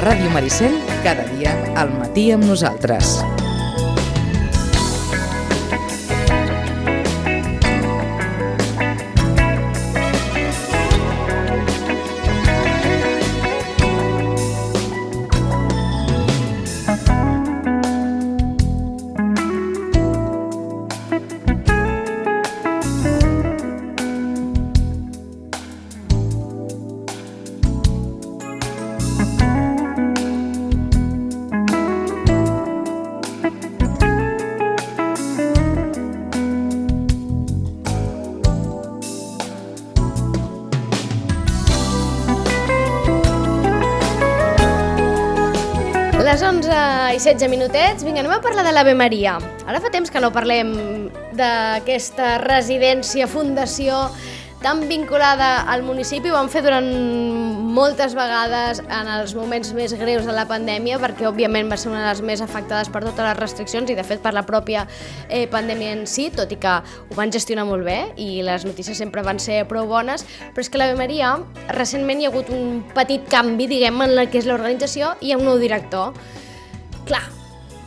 Ràdio Maricel, cada dia al matí amb nosaltres. Les 11:16 minutets, vinga, anem a parlar de l'Ave Maria. Ara fa temps que no parlem d'aquesta residència, fundació tan vinculada al municipi. Ho vam fer durant moltes vegades en els moments més greus de la pandèmia, perquè òbviament va ser una de les més afectades per totes les restriccions i de fet per la pròpia pandèmia en si, tot i que ho van gestionar molt bé i les notícies sempre van ser prou bones, però és que l'Ave Maria recentment hi ha hagut un petit canvi, diguem, en la que és l'organització i hi ha un nou director. Clar,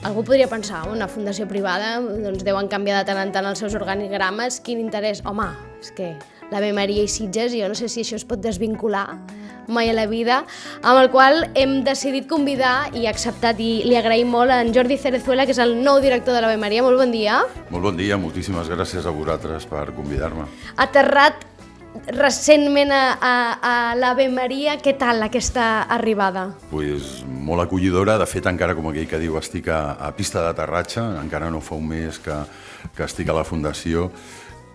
algú podria pensar, una fundació privada, doncs deuen canviar de tant en tant els seus organigrames, quin interès? Home, és que l'Ave Maria i Sitges, jo no sé si això es pot desvincular mai a la vida, amb el qual hem decidit convidar i acceptat, i li agraïm molt a en Jordi Cerezuela, que és el nou director de l'Ave Maria. Molt bon dia. Molt bon dia, moltíssimes gràcies a vosaltres per convidar-me. Aterrat recentment a l'Ave Maria, què tal aquesta arribada? Pues molt acollidora, de fet encara com aquell que diu estic a pista d'aterratge, encara no fa un mes que estic a la fundació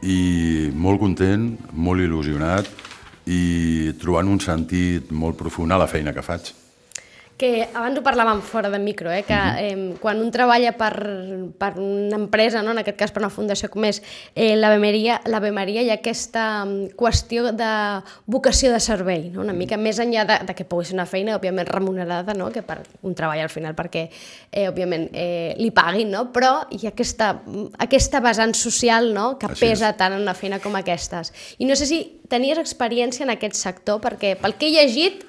i molt content, molt il·lusionat i trobant un sentit molt profund a la feina que faig. Que abans ho parlàvem fora de micro, que quan un treballa per una empresa, no? En aquest cas per una fundació com és l'Ave Maria, hi ha aquesta qüestió de vocació de servei, no? Una mica més enllà de que pugui ser una feina òbviament remunerada, no? Que per un treball al final perquè òbviament li paguin, no? Però hi ha aquesta vessant social, no? Que pesa tant en una feina com aquestes. I no sé si tenies experiència en aquest sector, perquè pel que he llegit,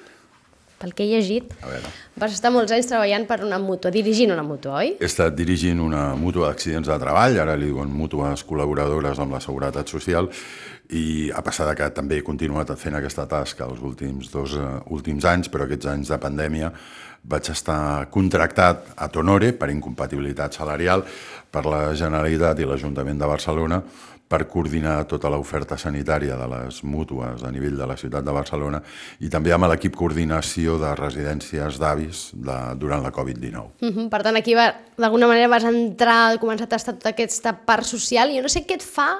vas estar molts anys treballant per una mútua, dirigint una mútua, oi? He estat dirigint una mútua d'accidents de treball, ara li diuen mútues col·laboradores amb la Seguretat Social, i a passar que també he continuat fent aquesta tasca els últims anys, però aquests anys de pandèmia vaig estar contractat a Tonore per incompatibilitat salarial per la Generalitat i l'Ajuntament de Barcelona per coordinar tota l'oferta sanitària de les mútues a nivell de la ciutat de Barcelona i també amb l'equip coordinació de residències d'avis durant la Covid-19. Per tant, aquí d'alguna manera vas entrar, començar a tastar tota aquesta part social, i jo no sé què et fa.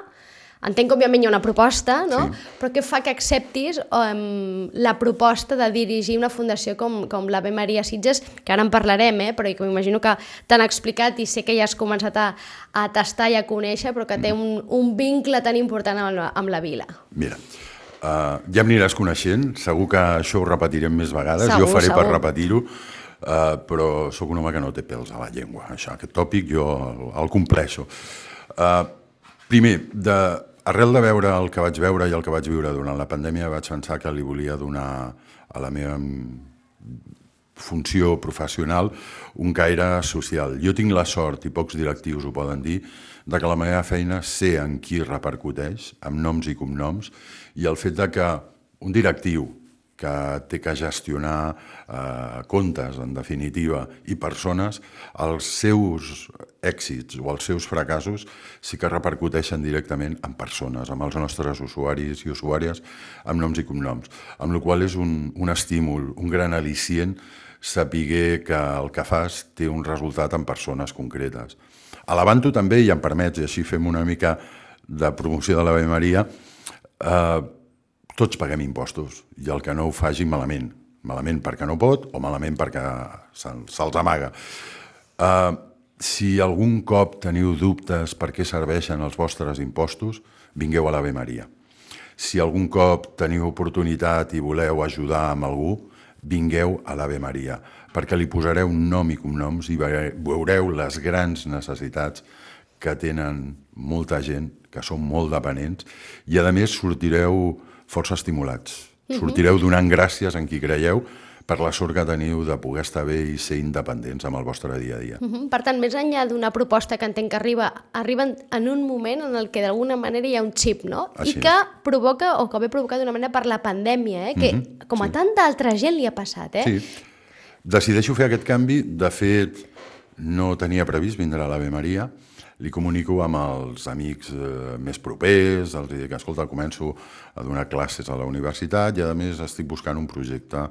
Entenc que òbviament hi ha una proposta, no? Sí. Però què fa que acceptis la proposta de dirigir una fundació com l'Ave Maria Sitges, que ara en parlarem, però que m'imagino que t'han explicat i sé que ja has començat a tastar i a conèixer, però que té un vincle tan important amb la vila. Mira, ja m'aniràs coneixent, segur que això ho repetirem més vegades, segur, jo faré segur. per repetir-ho, però sóc un home que no té pèls a la llengua, això, aquest tòpic jo el compleixo. Primer, arrel de veure el que vaig veure i el que vaig viure durant la pandèmia, vaig pensar que li volia donar a la meva funció professional un caire social. Jo tinc la sort, i pocs directius ho poden dir, de que la meva feina sé en qui repercuteix, amb noms i cognoms, i el fet de que un directiu que té que gestionar comptes, en definitiva, i persones, els seus èxits o els seus fracassos sí que repercuteixen directament en persones, amb els nostres usuaris i usuàries, amb noms i cognoms. Amb la qual cosa és un estímul, un gran al·licient saber que el que fas té un resultat en persones concretes. Alabant-ho també, i em permets, i així fem una mica de promoció de l'Ave Maria, tots paguem impostos, i el que no ho faci malament. Malament perquè no pot o malament perquè se'ls amaga. Si algun cop teniu dubtes per què serveixen els vostres impostos, vingueu a l'Ave Maria. Si algun cop teniu oportunitat i voleu ajudar amb algú, vingueu a l'Ave Maria, perquè li posareu nom i cognoms i veureu les grans necessitats que tenen molta gent, que són molt dependents, i a més sortireu força estimulats. Sortireu donant gràcies en qui creieu, per la sort que teniu de poder estar bé i ser independents amb el vostre dia a dia. Per tant, més enllà d'una proposta que entenc que arriben en un moment en el que d'alguna manera hi ha un xip, no? Així I que provoca, o que ve provocat d'una manera per la pandèmia, que com a tanta altra gent li ha passat, Sí. Decideixo fer aquest canvi. De fet, no tenia previst vindre a l'Ave Maria. Li comunico amb els amics més propers, els dic que, escolta, començo a donar classes a la universitat i, a més, estic buscant un projecte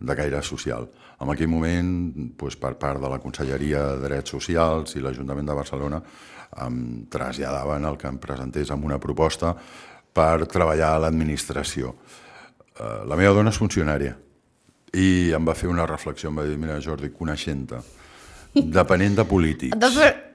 de caire social. En aquell moment, per part de la Conselleria de Drets Socials i l'Ajuntament de Barcelona, em traslladaven el que em presentés amb una proposta per treballar a l'administració. La meva dona és funcionària i em va fer una reflexió, em va dir, mira, Jordi, coneixent-te, depenent de polítics...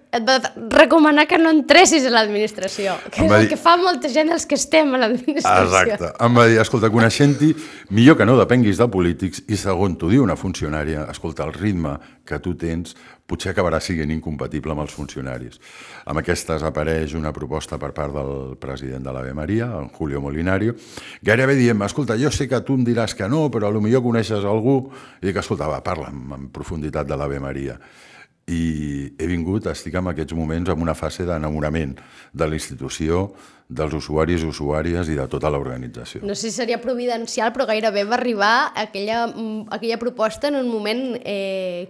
Et va recomanar que no entressis a l'administració, que és el que fa molta gent els que estem a l'administració. Exacte. Em va dir, escolta, coneixent-hi, millor que no depenguis de polítics i, segon, t'ho diu una funcionària, escolta, el ritme que tu tens potser acabarà sent incompatible amb els funcionaris. Amb aquestes apareix una proposta per part del president de l'Ave Maria, en Julio Molinario, gairebé dient, escolta, jo sé que tu em diràs que no, però potser coneixes algú, i dic, escolta, va, parla'm en profunditat de l'Ave Maria. I he vingut, estic en aquests moments en una fase d'enamorament de la institució, dels usuaris i usuàries i de tota l'organització. No sé si seria providencial, però gairebé va arribar aquella proposta en un moment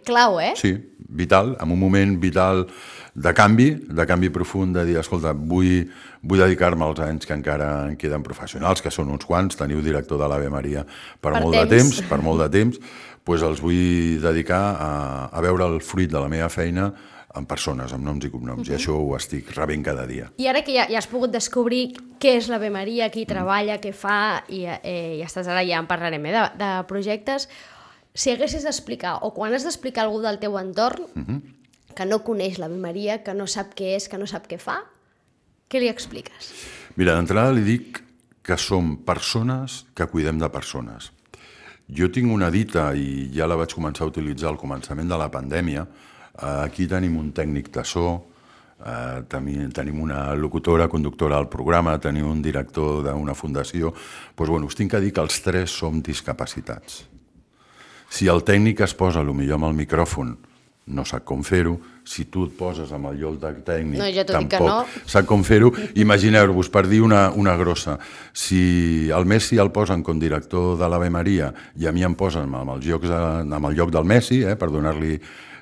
clau, eh? Sí, vital, en un moment vital de canvi profund, de dir, escolta, vull dedicar-me als anys que encara en queden professionals, que són uns quants, teniu director de l'Ave Maria per molt de temps, doncs els vull dedicar a veure el fruit de la meva feina amb persones, amb noms i cognoms, i això ho estic rebent cada dia. I ara que ja has pogut descobrir què és l'Ave Maria, qui treballa, què fa, i estàs ara, ja en parlarem de projectes, si haguessis d'explicar, o quan has d'explicar a algú del teu entorn que no coneix l'Ave Maria, que no sap què és, que no sap què fa, què li expliques? Mira, d'entrada li dic que som persones que cuidem de persones. Jo tinc una dita, i ja la vaig començar a utilitzar al començament de la pandèmia. Aquí tenim un tècnic de so, tenim una locutora, conductora al programa, tenim un director d'una fundació. Doncs us tinc que dir que els tres som discapacitats. Si el tècnic es posa potser amb el micròfon, no sap com fer-ho. Si tu et poses amb el lloc del tècnic, tampoc sap com fer-ho. Imagineu-vos, per dir una grossa, si el Messi el posen com director de l'Ave Maria i a mi em posen amb el lloc del Messi, per donar-li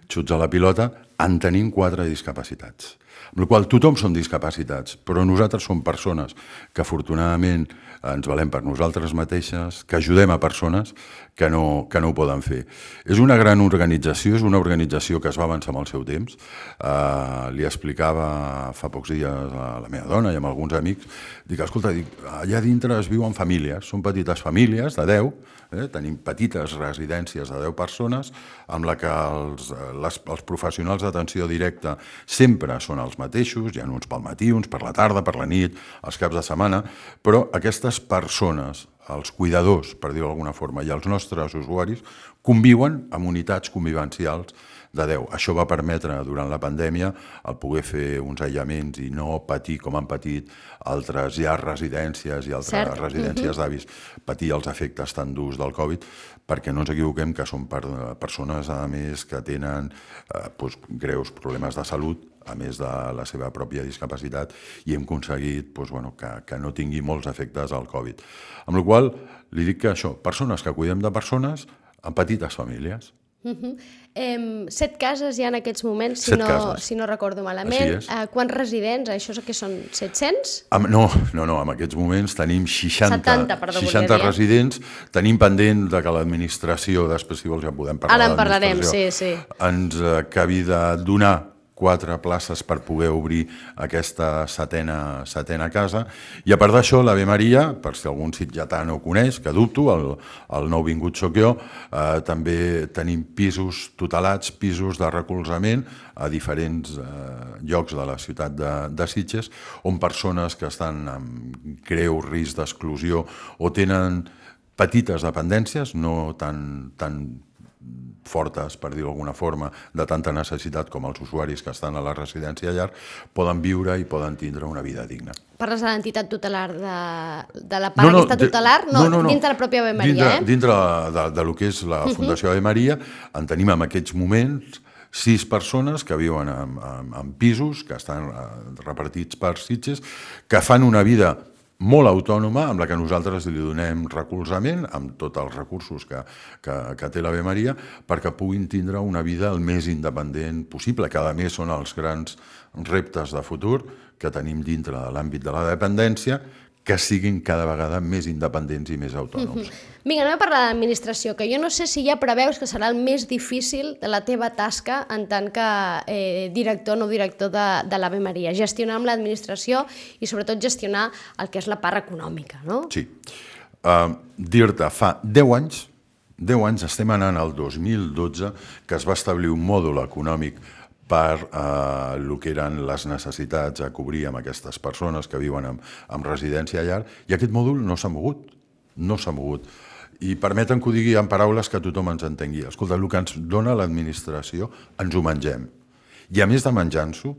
xuts a la pilota, en tenim 4 discapacitats. Amb la qual cosa tothom són discapacitats, però nosaltres som persones que afortunadament ens valem per nosaltres mateixes, que ajudem a persones que no ho poden fer. És una gran organització, és una organització que es va avançar amb el seu temps. Li explicava fa pocs dies a la meva dona i amb alguns amics, dic, escolta, allà dintre es viuen famílies, són petites famílies de 10, tenim petites residències de 10 persones, amb la que els professionals d'atenció directa sempre són els mateixos, hi ha uns pel matí, uns per la tarda, per la nit, els caps de setmana, però aquestes persones, els cuidadors, per dir-ho d'alguna forma, i els nostres usuaris, conviuen amb unitats convivencials de 10. Això va permetre, durant la pandèmia, el poder fer uns aïllaments i no patir, com han patit altres residències i altres residències d'avis, patir els efectes tan durs del Covid, perquè no ens equivoquem que són persones, a més, que tenen greus problemes de salut, a més de la seva pròpia discapacitat, i hem aconseguit que no tingui molts efectes al Covid. Amb la qual cosa, li dic que això, persones que cuidem de persones en petites famílies. 7 cases hi ha en aquests moments, si no recordo malament. Quants residents? Això que són 700? No, en aquests moments tenim 60 residents. Tenim pendent que l'administració, després si vols ja podem parlar de l'administració, ens acabi de donar 4 places per poder obrir aquesta setena casa. I a part d'això, l'Ave Maria, per si algun sitgetà no ho coneix, que dubto, el nou vingut soc jo, també tenim pisos tutelats, pisos de recolzament a diferents llocs de la ciutat de Sitges, on persones que estan amb greu risc d'exclusió o tenen petites dependències, no tan fortes, per dir-ho d'alguna forma, de tanta necessitat com els usuaris que estan a la residència llar, poden viure i poden tindre una vida digna. parles de l'entitat tutelar, de la part aquesta tutelar, dins de la pròpia Ave Maria, Dintre de lo que és la Fundació Ave Maria, en tenim en aquests moments 6 persones que viuen en pisos, que estan repartits per Sitges, que fan una vida molt autònoma, amb la que nosaltres li donem recolzament, amb tots els recursos que té l'Ave Maria, perquè puguin tindre una vida el més independent possible, que a més són els grans reptes de futur que tenim dintre de l'àmbit de la dependència, que siguin cada vegada més independents i més autònoms. Vinga, anem a parlar de l'administració, que jo no sé si ja preveus que serà el més difícil de la teva tasca en tant que director o no director de l'Ave Maria, gestionar amb l'administració i sobretot gestionar el que és la part econòmica, no? Sí. Dir-te, fa 10 anys estem anant al 2012, que es va establir un mòdul econòmic per el que eren les necessitats a cobrir amb aquestes persones que viuen en residència a llar, i aquest mòdul no s'ha mogut, no s'ha mogut. I permeten que ho digui en paraules que tothom ens entengui. Escolta, el que ens dona l'administració ens ho mengem. I a més de menjar-nos-ho,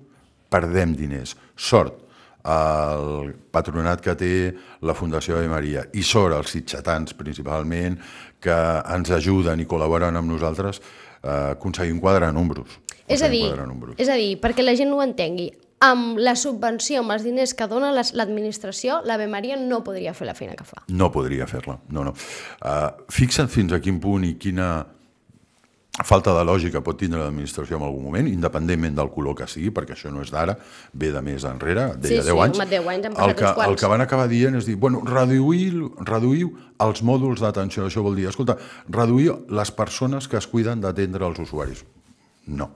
perdem diners. Sort el patronat que té la Fundació Ave Maria i sort els sitgetans principalment, que ens ajuden i col·laboren amb nosaltres, aconseguim quadrar números. És a dir, perquè la gent ho entengui, amb la subvenció, amb els diners que dona l'administració, l'Ave Maria no podria fer la feina que fa. No podria fer-la, no. Fixa't fins a quin punt i quina falta de lògica pot tindre l'administració en algun moment, independentment del color que sigui, perquè això no és d'ara, ve de més enrere, deia 10 anys. Sí, 10 anys han passat uns quants. El que van acabar dient és dir, bueno, reduïu els mòduls d'atenció. Això vol dir, escolta, reduir les persones que es cuiden d'atendre els usuaris. No.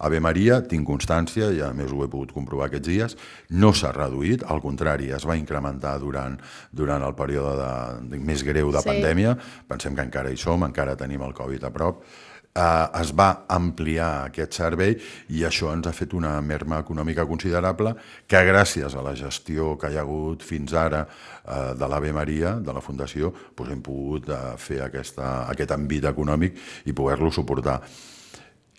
Ave Maria, tinc constància, i a més ho he pogut comprovar aquests dies, no s'ha reduït, al contrari, es va incrementar durant el període més greu de pandèmia, pensem que encara hi som, encara tenim el Covid a prop, es va ampliar aquest servei i això ens ha fet una merma econòmica considerable que gràcies a la gestió que hi ha hagut fins ara de l'Ave Maria, de la Fundació, hem pogut fer aquest àmbit econòmic i poder-lo suportar.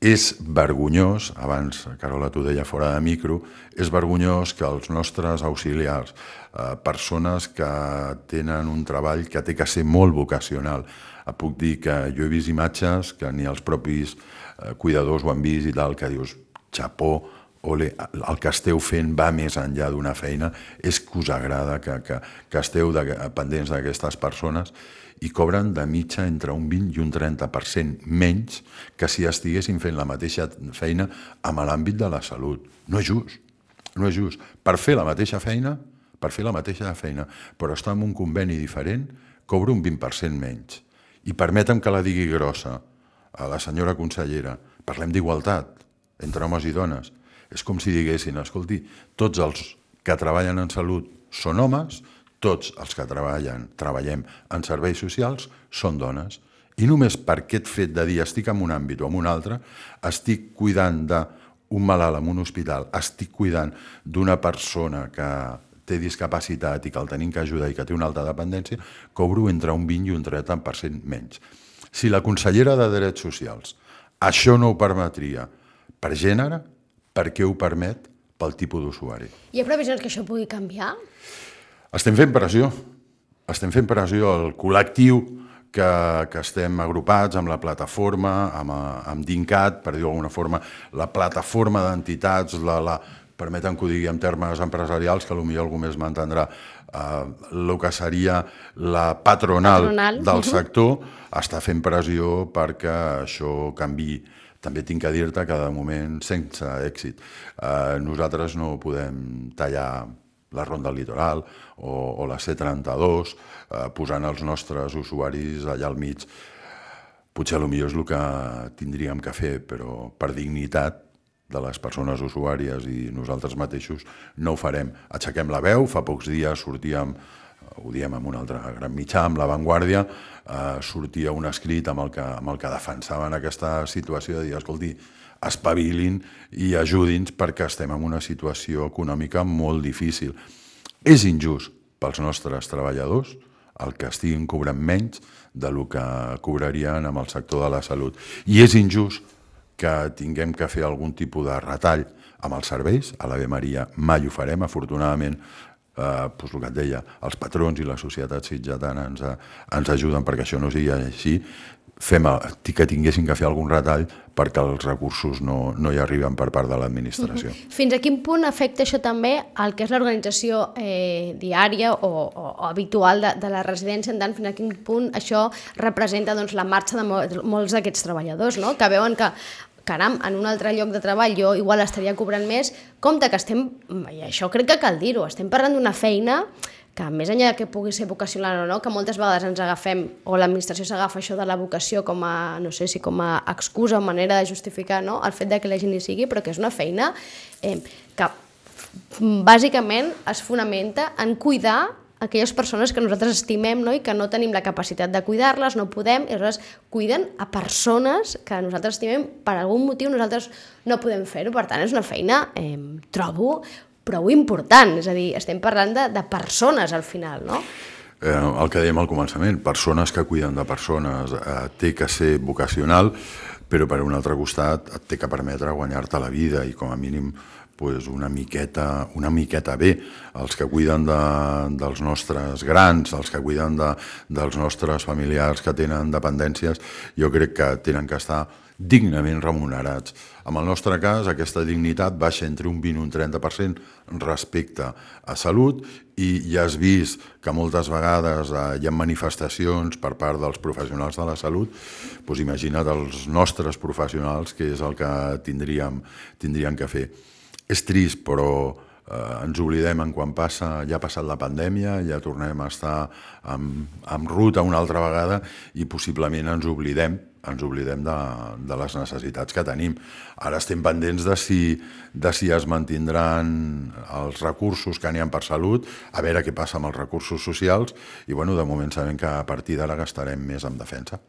És vergonyós, abans, Carola, t'ho deia fora de micro, és vergonyós que els nostres auxiliars, persones que tenen un treball que té que ser molt vocacional, puc dir que jo he vist imatges que ni els propis cuidadors ho han vist i tal, que dius, xapó, ole, el que esteu fent va més enllà d'una feina, és que us agrada que esteu pendents d'aquestes persones i cobren de mitja entre un 20 i un 30% menys que si estiguessin fent la mateixa feina amb l'àmbit de la salut. No és just, no és just. Per fer la mateixa feina, però estar en un conveni diferent, cobro un 20% menys. I permetem que la digui grossa a la senyora consellera, parlem d'igualtat entre homes i dones. És com si diguessin, escolti, tots els que treballen en salut són homes, tots els que treballem en serveis socials són dones. I només per aquest fet de dir estic en un àmbit o en un altre, estic cuidant d'un malalt en un hospital, estic cuidant d'una persona que té discapacitat i que el tenim que ajudar i que té una alta dependència, cobro entre un 20 i un 30% menys. Si la consellera de Drets Socials això no ho permetria per gènere, per què ho permet pel tipus d'usuari? Hi ha previsions que això pugui canviar? Estem fent pressió, el col·lectiu que estem agrupats amb la plataforma, amb DINCAT, per dir-ho d'alguna forma, la plataforma d'entitats, permeten que ho digui en termes empresarials, que potser algú més m'entendrà, el que seria la patronal del sector, està fent pressió perquè això canviï. També tinc que dir-te que de moment sense èxit. Nosaltres no podem tallar la Ronda del Litoral o la C32, posant els nostres usuaris allà al mig. Potser potser és el que tindríem que fer, però per dignitat de les persones usuàries i nosaltres mateixos no ho farem. Aixequem la veu, fa pocs dies sortíem, ho diem amb un altre gran mitjà, amb La Vanguardia, sortia un escrit amb el que defensaven aquesta situació de dir, escolti, espavilin i ajudi'ns perquè estem en una situació econòmica molt difícil. És injust pels nostres treballadors el que estiguin cobrant menys del que cobrarien amb el sector de la salut. I és injust que tinguem que fer algun tipus de retall amb els serveis. A l'Ave Maria mai ho farem, afortunadament doncs el que et deia, els patrons i la societat sitgetana ens ajuden perquè això no sigui així, que tinguessin que fer algun retall perquè els recursos no hi arriben per part de l'administració. Fins a quin punt afecta això també el que és l'organització diària o habitual de la residència, en tant fins a quin punt això representa la marxa de molts d'aquests treballadors, no? Que veuen que caram, en un altre lloc de treball jo igual estaria cobrant més, compte que i això crec que cal dir-ho, estem parlant d'una feina que més enllà que pugui ser vocacional o no, que moltes vegades ens agafem, o l'administració s'agafa això de la vocació com a, no sé si com a excusa o manera de justificar el fet de que la gent hi sigui, però que és una feina que bàsicament es fonamenta en cuidar aquelles persones que nosaltres estimem i que no tenim la capacitat de cuidar-les, no podem, i aleshores cuiden a persones que nosaltres estimem, per algun motiu nosaltres no podem fer-ho, per tant és una feina, trobo, prou important, és a dir, estem parlant de persones al final, no? El que dèiem al començament, persones que cuiden de persones, té que ser vocacional, però per un altre costat et té que permetre guanyar-te la vida i com a mínim una miqueta bé. Els que cuiden dels nostres grans, els que cuiden dels nostres familiars que tenen dependències, jo crec que tenen que estar dignament remunerats. En el nostre cas, aquesta dignitat baixa entre un 20 i un 30% respecte a salut i ja has vist que moltes vegades hi ha manifestacions per part dels professionals de la salut, doncs imagina't els nostres professionals què és el que tindríem que fer. És trist, però ens oblidem en quan ja ha passat la pandèmia, ja tornem a estar en ruta una altra vegada i possiblement ens oblidem de les necessitats que tenim. Ara estem pendents de si es mantindran els recursos que n'hi ha per salut, a veure què passa amb els recursos socials i de moment sabem que a partir d'ara gastarem més en defensa.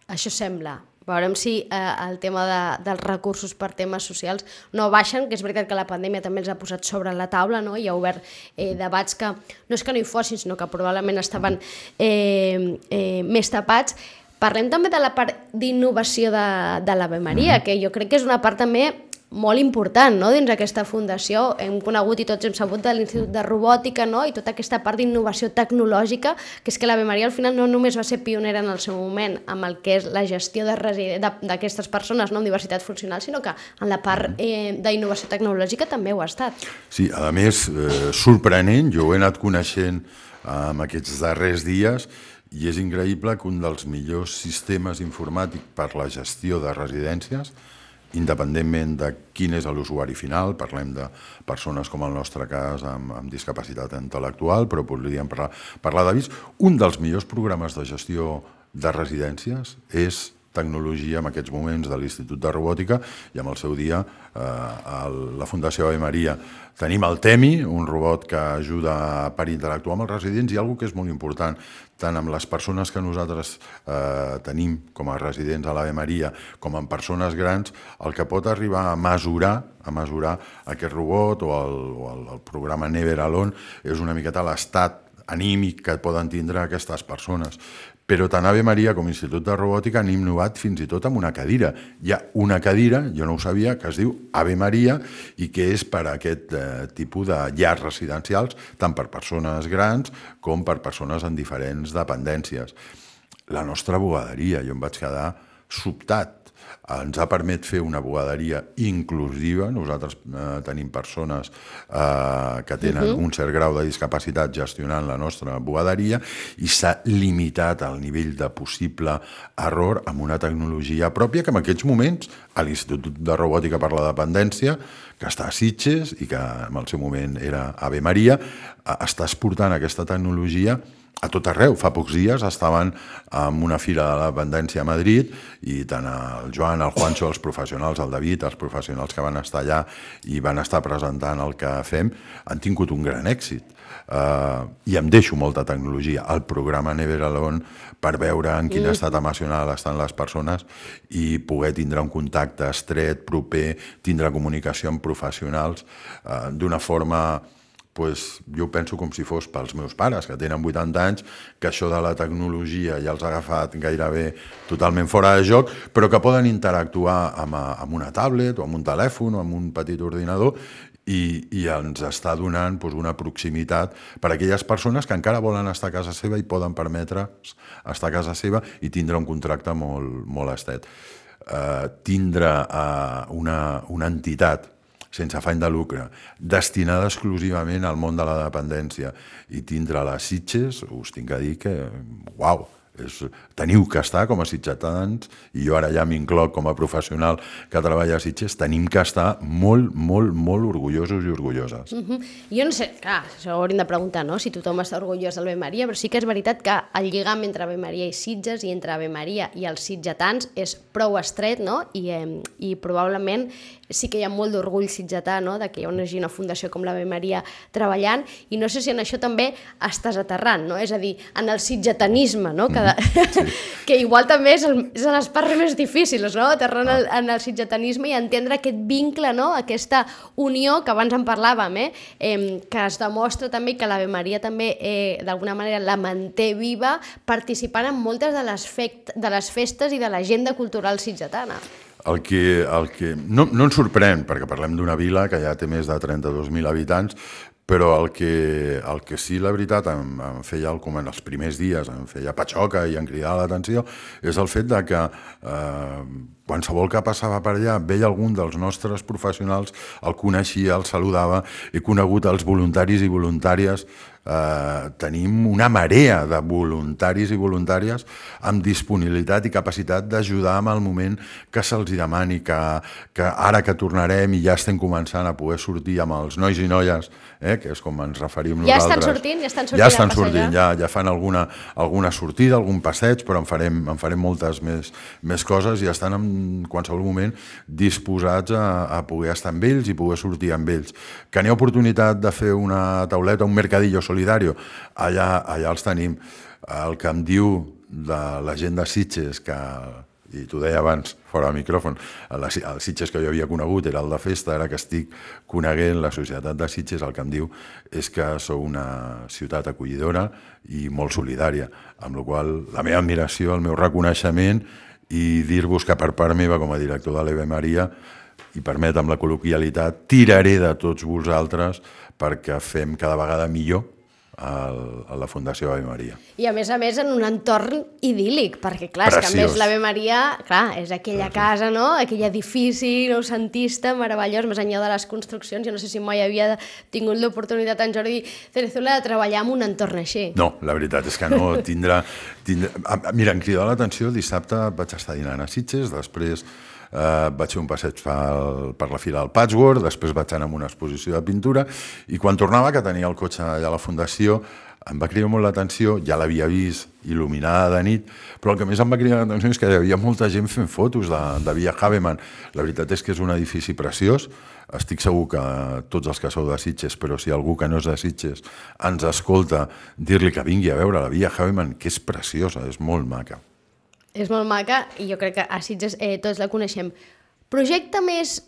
Això sembla. Veurem si el tema dels recursos per temes socials no baixen, que és veritat que la pandèmia també els ha posat sobre la taula, i ha obert debats que no és que no hi fossin, sinó que probablement estaven més tapats. Parlem també de la part d'innovació de l'Ave Maria, que jo crec que és una part també molt important dins d'aquesta fundació. Hem conegut i tots hem sabut de l'Institut de Robòtica i tota aquesta part d'innovació tecnològica, que és que l'Ave Maria al final no només va ser pionera en el seu moment amb el que és la gestió d'aquestes persones amb diversitat funcional, sinó que en la part d'innovació tecnològica també ho ha estat. Sí, a més, sorprenent, jo ho he anat coneixent en aquests darrers dies i és increïble que un dels millors sistemes informàtics per la gestió de residències, independentment de quin és l'usuari final, parlem de persones com el nostre cas amb discapacitat intel·lectual, però podríem parlar d'AVIS, un dels millors programes de gestió de residències és tecnologia en aquests moments de l'Institut de Robòtica i en el seu dia a la Fundació Ave Maria tenim el TEMI, un robot que ajuda per interactuar amb els residents i una cosa que és molt important, tant amb les persones que nosaltres tenim com a residents a l'Ave Maria com amb persones grans, el que pot arribar a mesurar aquest robot o el programa Never Alone és una miqueta l'estat anímic que poden tindre aquestes persones. Però tant Ave Maria com Institut de Robòtica han innovat fins i tot amb una cadira. Hi ha una cadira, jo no ho sabia, que es diu Ave Maria i que és per a aquest tipus de llars residencials, tant per persones grans com per persones amb diferents dependències. La nostra bugaderia, jo em vaig quedar sobtat. Ens ha permès fer una bugaderia inclusiva. Nosaltres tenim persones que tenen un cert grau de discapacitat gestionant la nostra bugaderia i s'ha limitat el nivell de possible error amb una tecnologia pròpia que en aquests moments a l'Institut de Robòtica per la Dependència, que està a Sitges i que en el seu moment era Ave Maria, està exportant aquesta tecnologia a tot arreu. Fa pocs dies estaven en una fira de la dependència a Madrid i tant el Joan, el Juancho, els professionals, el David, els professionals que van estar allà i van estar presentant el que fem, han tingut un gran èxit. I em deixo molta tecnologia al programa Never Alone per veure en quin estat emocional estan les persones i poder tindre un contacte estret, proper, tindre comunicació amb professionals d'una forma... jo penso com si fos pels meus pares, que tenen 80 anys, que això de la tecnologia ja els ha agafat gairebé totalment fora de joc, però que poden interactuar amb una tablet o amb un telèfon o amb un petit ordinador i ens està donant una proximitat per a aquelles persones que encara volen estar a casa seva i poden permetre estar a casa seva i tindre un contracte molt estet. Tindre una entitat sense afany de lucre, destinada exclusivament al món de la dependència i tindre les Sitges, us tinc a dir que, uau, teniu que estar com a sitgetans, i jo ara ja m'incloc com a professional que treballa a Sitges, tenim que estar molt orgullosos i orgulloses. Jo no sé, clar, això ho hauríem de preguntar, no?, si tothom està orgullós del Ave Maria, però sí que és veritat que el lligam entre Ave Maria i Sitges i entre Ave Maria i els sitgetans és prou estret, no?, i probablement sí que hi ha molt d'orgull sitgetà, no?, de que hi hagi una fundació com l'Ave Maria treballant, i no sé si en això també estàs aterrant, no?, és a dir, en el sitgetanisme, no?, que igual també és a les parts més difícils, no?, aterrant en el sitgetanisme i entendre aquest vincle, no?, aquesta unió que abans en parlàvem, que es demostra també que l'Ave Maria també d'alguna manera la manté viva participant en moltes de les festes i de l'agenda cultural sitgetana. El que no ens sorprèn, perquè parlem d'una vila que ja té més de 32.000 habitants, però el que sí, la veritat, em feia, com en els primers dies, em feia patxoca i em cridava l'atenció, és el fet de que qualsevol que passava per allà veia algun dels nostres professionals, el coneixia, el saludava, he conegut els voluntaris i voluntàries, tenim una marea de voluntaris i voluntàries amb disponibilitat i capacitat d'ajudar en el moment que se'ls demani, que ara que tornarem i ja estem començant a poder sortir amb els nois i noies, que és com ens referim nosaltres. Ja estan sortint ja fan alguna sortida, algun passeig, però en farem moltes més coses i estan en qualsevol moment disposats a poder estar amb ells i poder sortir amb ells. Que n'hi ha oportunitat de fer una tauleta, un mercadillo solidario, allà els tenim. El que em diu de la gent de Sitges, i t'ho deia abans, fora del micròfon, el Sitges que jo havia conegut era el de festa, ara que estic coneguent la societat de Sitges, el que em diu és que sou una ciutat acollidora i molt solidària, amb la qual la meva admiració, el meu reconeixement i dir-vos que per part meva com a director de l'Ave Maria, i permetem la col·loquialitat, tiraré de tots vosaltres perquè fem cada vegada millor a la Fundació Ave Maria. I a més en un entorn idíl·lic, perquè clar, és que a més l'Ave Maria, clar, és aquella casa, no?, aquell edifici noucentista, meravellós, més enllà de les construccions. Jo no sé si mai havia tingut l'oportunitat en Jordi Cerezuela de treballar en un entorn així. No, la veritat és que no. Mira, em cridava l'atenció, dissabte vaig estar dinant a Sitges, després vaig fer un passeig per la Fira del Patchwork, després vaig anar a una exposició de pintura i quan tornava, que tenia el cotxe allà a la Fundació, em va cridar molt l'atenció, ja l'havia vist il·luminada de nit, però el que més em va cridar l'atenció és que hi havia molta gent fent fotos de Via Havemann. La veritat és que és un edifici preciós, estic segur que tots els que sou de Sitges, però si algú que no és de Sitges ens escolta, dir-li que vingui a veure la Via Havemann, que és preciosa, és molt maca. És molt maca i jo crec que a Sitges tots la coneixem. Projecte més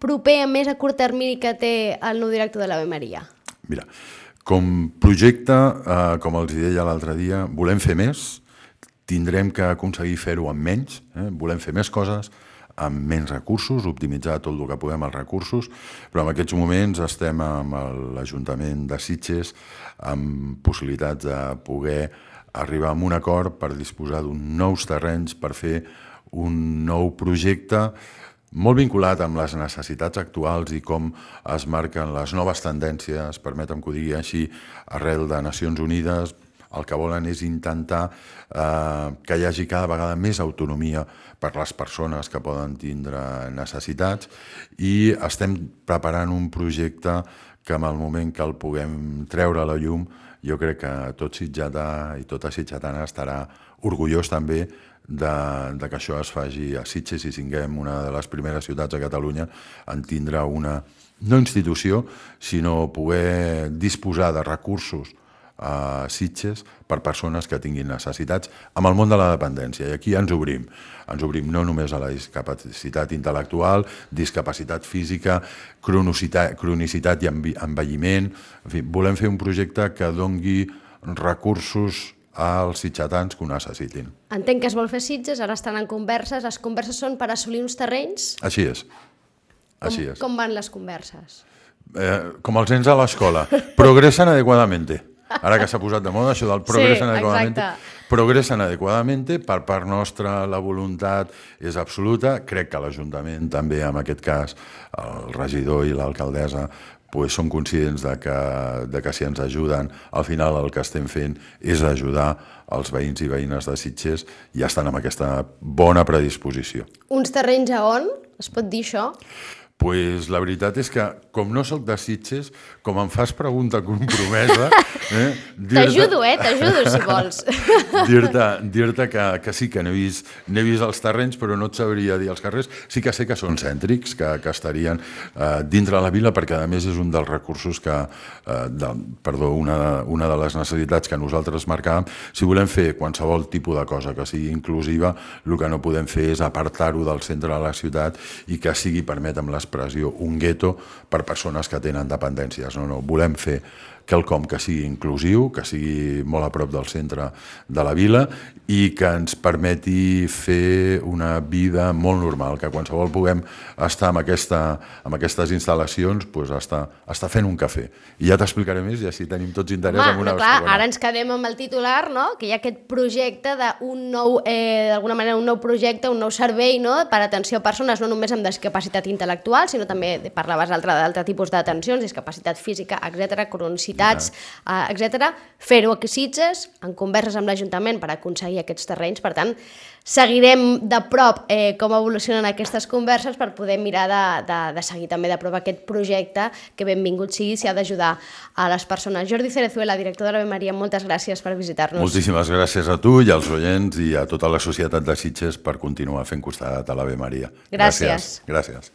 proper, més a curt termini que té el nou director de l'Ave Maria? Mira, com projecte, com els deia l'altre dia, volem fer més, tindrem que aconseguir fer-ho amb menys, volem fer més coses amb menys recursos, optimitzar tot el que podem els recursos, però en aquests moments estem amb l'Ajuntament de Sitges amb possibilitats de poder arribar a un acord per disposar d'uns nous terrenys per fer un nou projecte molt vinculat amb les necessitats actuals i com es marquen les noves tendències, permetem que ho digui així, arrel de Nacions Unides. El que volen és intentar que hi hagi cada vegada més autonomia per les persones que poden tindre necessitats i estem preparant un projecte que en el moment que el puguem treure a la llum jo crec que tot sitgetà i tota sitgetana estarà orgullós també de que això es faci a Sitges i siguem una de les primeres ciutats a Catalunya en tindre una, no institució, sinó poder disposar de recursos a Sitges per persones que tinguin necessitats amb el món de la dependència. I aquí ens obrim no només a la discapacitat intel·lectual, discapacitat física, cronicitat i envelliment. En fi, volem fer un projecte que dongui recursos als sitgetans que ho necessitin. Entenc que es vol fer Sitges, ara estan en converses. Les converses són per assolir uns terrenys? Així és. Així és. Com van les converses? Com els nens a l'escola. Progressen adequadamente. Ara que s'ha posat de moda això del progressen adequadamente. Progressen adequadamente, per part nostra la voluntat és absoluta. Crec que l'Ajuntament també, en aquest cas, el regidor i l'alcaldessa, són conscients de que si ens ajuden, al final el que estem fent és ajudar els veïns i veïnes de Sitges i estan amb aquesta bona predisposició. Uns terrenys a on? Es pot dir això? Pues la veritat és que, com no sóc de Sitges, com em fas pregunta compromesa... T'ajudo, si vols. Dir-te que sí, que n'he vist els terrenys, però no et sabria dir els carrers. Sí que sé que són cèntrics, que estarien dintre la vila, perquè a més és un dels recursos una de les necessitats que nosaltres marcàvem. Si volem fer qualsevol tipus de cosa que sigui inclusiva, el que no podem fer és apartar-ho del centre de la ciutat i que sigui, permetem l'expressió, un gueto per persones que tenen dependències. No, volem fer quelcom que sigui inclusiu, que sigui molt a prop del centre de la vila i que ens permeti fer una vida molt normal, que qualsevol puguem estar amb aquestes instal·lacions, estar fent un cafè. I ja t'explicaré més i així tenim tots interès en una segona. Ara ens quedem amb el titular, que hi ha aquest projecte d'un nou, d'alguna manera, un nou projecte, un nou servei per atenció a persones no només amb discapacitat intel·lectual, sinó també, parlaves d'altre tipus d'atencions, discapacitat física, etc., cronicitat, etc. Fer-ho a Sitges, en converses amb l'Ajuntament per aconseguir aquests terrenys. Per tant, seguirem de prop com evolucionen aquestes converses per poder mirar de seguir també de prop aquest projecte que benvingut sigui si ha d'ajudar a les persones. Jordi Cerezuela, director de l'Ave Maria, moltes gràcies per visitar-nos. Moltíssimes gràcies a tu i als oients i a tota la societat de Sitges per continuar fent costat a l'Ave Maria. Gràcies. Gràcies.